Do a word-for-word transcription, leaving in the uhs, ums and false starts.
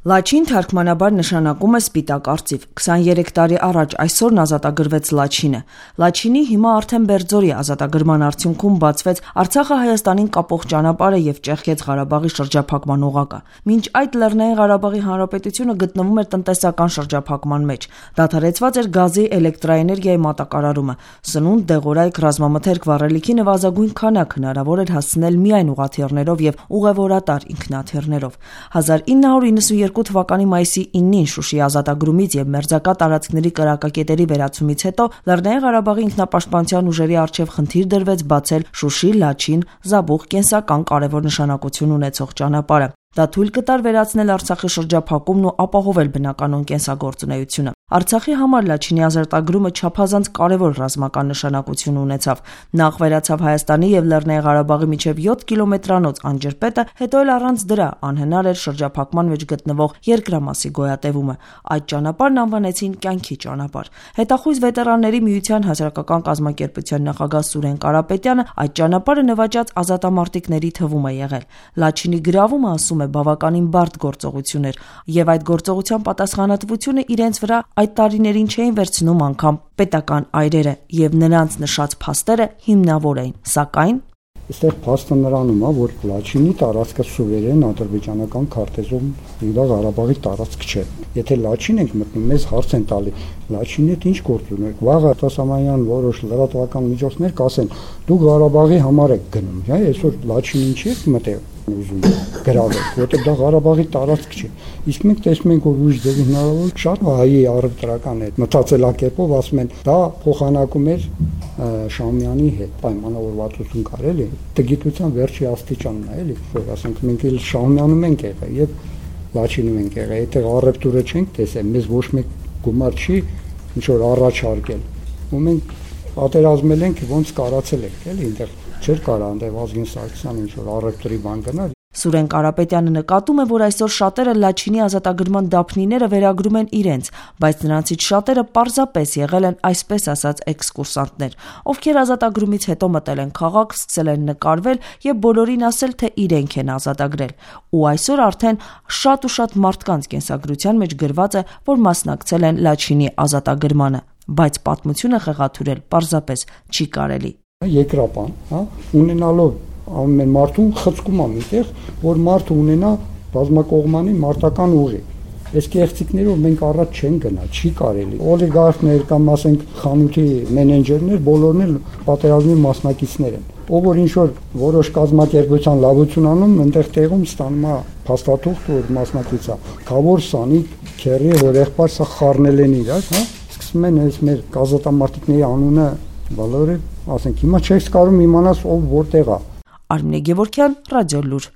Լաչին թարգմանաբար նշանակում է սպիտակ արծիվ։ քսաներեք տարի առաջ այսօրն ազատագրվեց Լաչինը։ Լաչինի հիմա արդեն Բերձորի ազատագրման արդյունքում բացվեց Արցախը Հայաստանին կապող ճանապարհը եւ ճեղքեց Ղարաբաղի շրջափակման օղակը։ Մինչ այդ Լեռնային Ղարաբաղի Հանրապետությունը գտնվում էր տնտեսական շրջափակման մեջ։ Դադարեցված էր գազի, էլեկտրաէներգիայի մատակարարումը։ Սնունդ, դեղորայք, ռազմամթերք վառելիքի նվազագույն քանակ հնարավոր էր հասցնել միայն ուղաթիռներով եւ ուղևորատար ինքնաթիռներով։ հազար ինը հարյուր իննսունյերկու թվականի մայիսի իննին Շուշիի ազատագրումից եւ մերձակա տարածքների կրակակետերի վերացումից հետո Լեռնային Ղարաբաղի ինքնապաշտպանության ուժերի առջեւ խնդիր դրվեց բացել Շուշի, Լաչին, Զաբուղ կենսական կարևոր նշանակություն ունեցող ճանապարհը։ Դա թույլ կտար վերացնել Արցախի շրջափակումն ու ապահովել բնականոն կենսագործունեությունը։ Արցախի համար Լաչինի ազատագրումը չափազանց կարևոր ռազմական նշանակություն ունեցավ։ Նախ վերացավ Հայաստանի եւ Լեռնային Ղարաբաղի միջև յոթ կիլոմետրանոց անջրպետը, հետո էլ առանց դրա անհնար էր շրջափակման մեջ գտնվող երկրամասի գոյատևումը։ Այդ ճանապարհն անվանեցին կյանքի ճանապարհ։ Հետախույզ վետերանների միության հասարակական կազմակերպության նախագահ Սուրեն Կարապետյանը այդ ճանապարհը նվաճած ազատամարտիկների թվում է եղել։ Լաչինի գրավումը, ասում է, բավականին բարդ գործողություն էր, եւ այդ գործողության պատասխանատվությունը իրենց վրա այդ տարիներին չէին վերցնում անգամ պետական այրերը, եւ նրանց նշած փաստերը հիմնավոր էին, սակայն Այստեղ փաստը նրանում է, որ Լաչինի տարածքը սուվերեն ադրբեջանական քարտեզում դա Ղարաբաղի տարածք չէ։ Եթե Լաչին ենք մտնում, մեզ հարց են տալի, Լաչինի հետ ինչ գործ ունեք։ Վաղը Տասամանյան որոշ լրատվական միջոցներ կասեն, դու Ղարաբաղի համար եք գնում, հա, այսօր Լաչինի ինչի եք մտել ուզում գրավել, որտեղ դա Ղարաբաղի տարածք չէ։ Իսկ մենք տեսնում ենք, որ ուժ ձևի հնարավոր շատ հայի առևտրական է մտածելակերպով ասում են, դա փոխանակում էր Շահումյանի հետ պայմանավորվածություն կար էլի, տգիտության վերջի աստիճանն է էլի, որ ասենք մենք էլ Շահումյանում ենք եղել եւ Լաչինում ենք եղել, եթե առևտուրը չենք տեսել, մեզ ոչ մեկ գումար չի ինչ որ առաջարկել։ Ու մենք պատերազմել ենք, ոնց կարացել ենք, էլի, այնտեղ չէր կարա այնտեղ Ազգին Սարգսյան ինչ որ առևտրի բան գնալ։ Սուրեն Կարապետյանը նկատում է, որ այսօր շատերը Լաչինի ազատագրման դափնիները վերագրում են իրենց, բայց նրանցից շատերը պարզապես եղել են այսպես ասած էքսկուրսանտներ, ովքեր ազատագրումից հետո մտել են քաղաք, սկսել են նկարվել եւ բոլորին ասել, թե իրենք են ազատագրել։ Ու այսօր արդեն շատ ու շատ մարդկանց կենսագրության մեջ գրված է, որ մասնակցել են Լաչինի ազատագրմանը, բայց պատմությունը խեղաթյուրել պարզապես չի կարելի։ Երկրապան, հա, ունենալով ամեն մարդուն խցկում է միտեղ, որ մարդը ունենա բազմակողմանի մարտական ուժի։ Այս կեղծիքներով մենք առաջ չեն գնա, չի կարելի։ Օլիգարխներ կամ ասենք խանութի մենեջերներ բոլորն էլ պատերազմի մասնակիցներ են։ Ով որ ինչ որ որոշ կազմակերպության լավություն անում, այնտեղ տեղում ստանում է փաստաթուղթ, որ մասնակից է։ Խավոր Սանիկ, Քերի, որ եղբայր սա խառնել են իրար, հա։ Սկսում են այս մեր գազատամարտիկների անունը բոլորը, ասենք հիմա չես կարող իմանաս ով որտեղ է։ Արմինե Գևորգյան, Ռադիոլուր։